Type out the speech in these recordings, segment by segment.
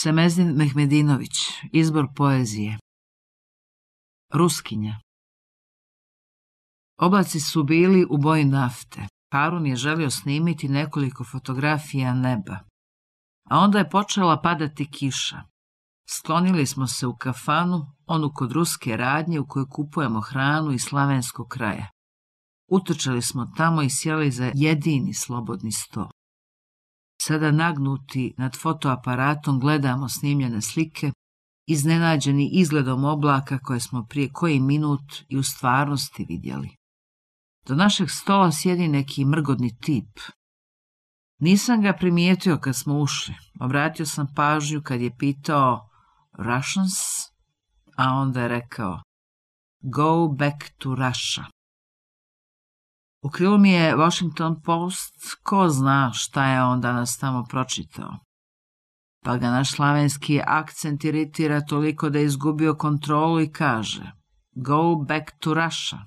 Semezdin Mehmedinović, izbor poezije. Ruskinja. Oblaci su bili u boji nafte. Harun je želio snimiti nekoliko fotografija neba. A onda je počela padati kiša. Sklonili smo se u kafanu, onu kod ruske radnje u kojoj kupujemo hranu iz slavenskog kraja. Utrčali smo tamo i sjeli za jedini slobodni sto. Sada nagnuti nad fotoaparatom gledamo snimljene slike, iznenađeni izgledom oblaka koje smo prije koji minut i u stvarnosti vidjeli. Do našeg stola sjedi neki mrgodni tip. Nisam ga primijetio kad smo ušli. Obratio sam pažnju kad je pitao Russians, a onda je rekao Go back to Russia. U krilu mi je Washington Post, ko zna šta je on danas tamo pročitao. Pa ga naš slavenski akcent iritira toliko da je izgubio kontrolu i kaže Go back to Russia.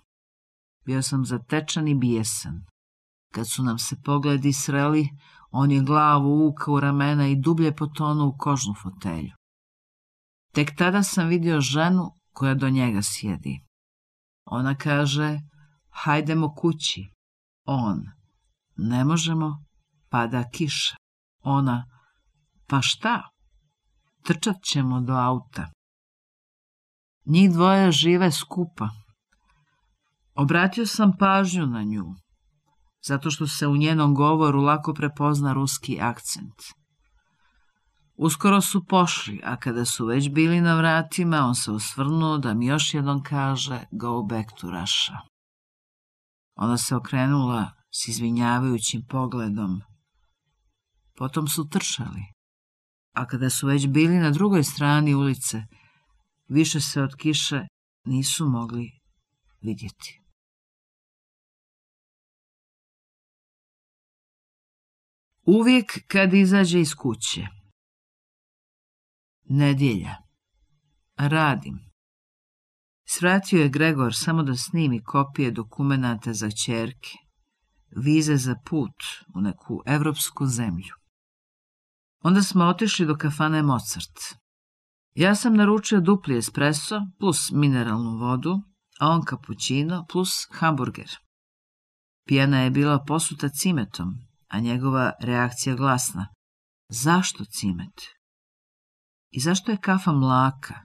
Bio sam zatečan i bijesan. Kad su nam se pogledi sreli, on je glavu uvukao u ramena i dublje potonuo u kožnu fotelju. Tek tada sam vidio ženu koja do njega sjedi. Ona kaže, hajdemo kući. On, ne možemo, pada kiša. Ona, pa šta? Trčat ćemo do auta. Njih dvoje žive skupa. Obratio sam pažnju na nju, zato što se u njenom govoru lako prepozna ruski akcent. Uskoro su pošli, a kada su već bili na vratima, on se osvrnuo da mi još jednom kaže Go back to Russia. Ona se okrenula s izvinjavajućim pogledom. Potom su trčali, a kada su već bili na drugoj strani ulice, više se od kiše nisu mogli vidjeti. Uvijek kad izađe iz kuće. Nedjelja. Radim. Svratio je Gregor samo da snimi kopije dokumenata za ćerke, vize za put u neku evropsku zemlju. Onda smo otišli do kafane Mozart. Ja sam naručio dupli espresso plus mineralnu vodu, a on kapućino plus hamburger. Pijana je bila posuta cimetom, a njegova reakcija glasna. Zašto cimet? I zašto je kafa mlaka?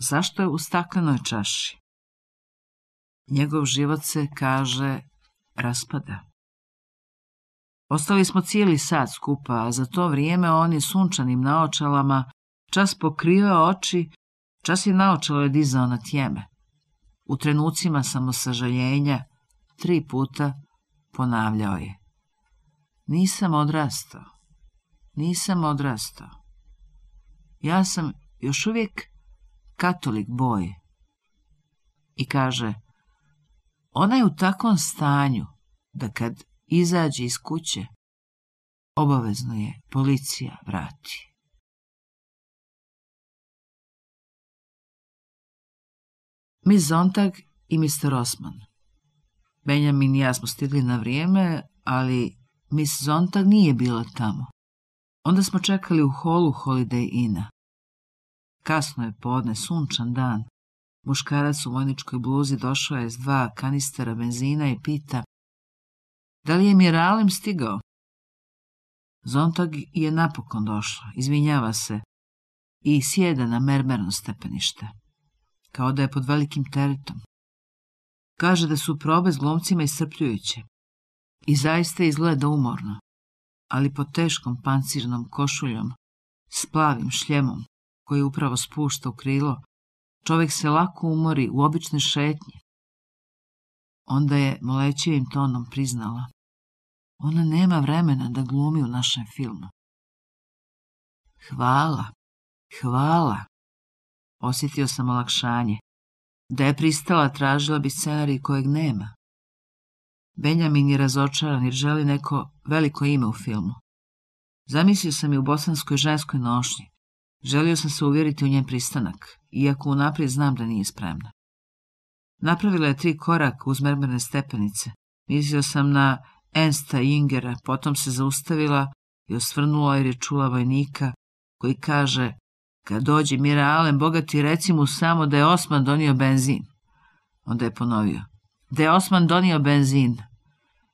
Zašto je u staklenoj čaši? Njegov život se, kaže, raspada. Ostali smo cijeli sat skupa, a za to vrijeme on je sunčanim naočalama čas pokrivao oči, čas je naočalo je dizao na tjeme. U trenucima samosažaljenja 3 puta ponavljao je. Nisam odrastao. Nisam odrastao. Ja sam još uvijek katolik boy. I kaže, ona je u takvom stanju da kad izađe iz kuće, obavezno je policija vrati. Miss Zontag i Mr. Osman. Benjamin i ja smo stigli na vrijeme, ali Miss Zontag nije bila tamo. Onda smo čekali u holu Holiday Inna. Kasno je podne, sunčan dan. Muškarac u vojničkoj bluzi došao je s 2 kanistera benzina i pita, da li je Miralem stigao? Zontag je napokon došla, izvinjava se i sjeda na mermerno stepenište, kao da je pod velikim teretom. Kaže da su probe s glumcima iscrpljujuće i zaista izgleda umorno, ali pod teškom pancirnom košuljom, s plavim šljemom koji upravo spušta u krilo, čovjek se lako umori u obične šetnje. Onda je molećivim tonom priznala, ona nema vremena da glumi u našem filmu. Hvala, hvala. Osjetio sam olakšanje. Da je pristala, tražila bi scenarij kojeg nema. Benjamin je razočaran jer želi neko veliko ime u filmu. Zamislio sam je u bosanskoj ženskoj nošnji. Želio sam se uvjeriti u njen pristanak, iako unaprijed znam da nije spremna. Napravila je 3 koraka uz mermerne stepenice. Mislio sam na Ernsta Jingera, potom se zaustavila i osvrnula jer je čula vojnika koji kaže: kad dođe Mira Alen bogati, reci mu samo da je Osman donio benzin. Onda je ponovio: da je Osman donio benzin.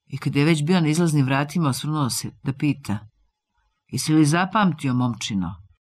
I kad je već bio na izlaznim vratima, osvrnuo se da pita: jesi li zapamtio, momčino?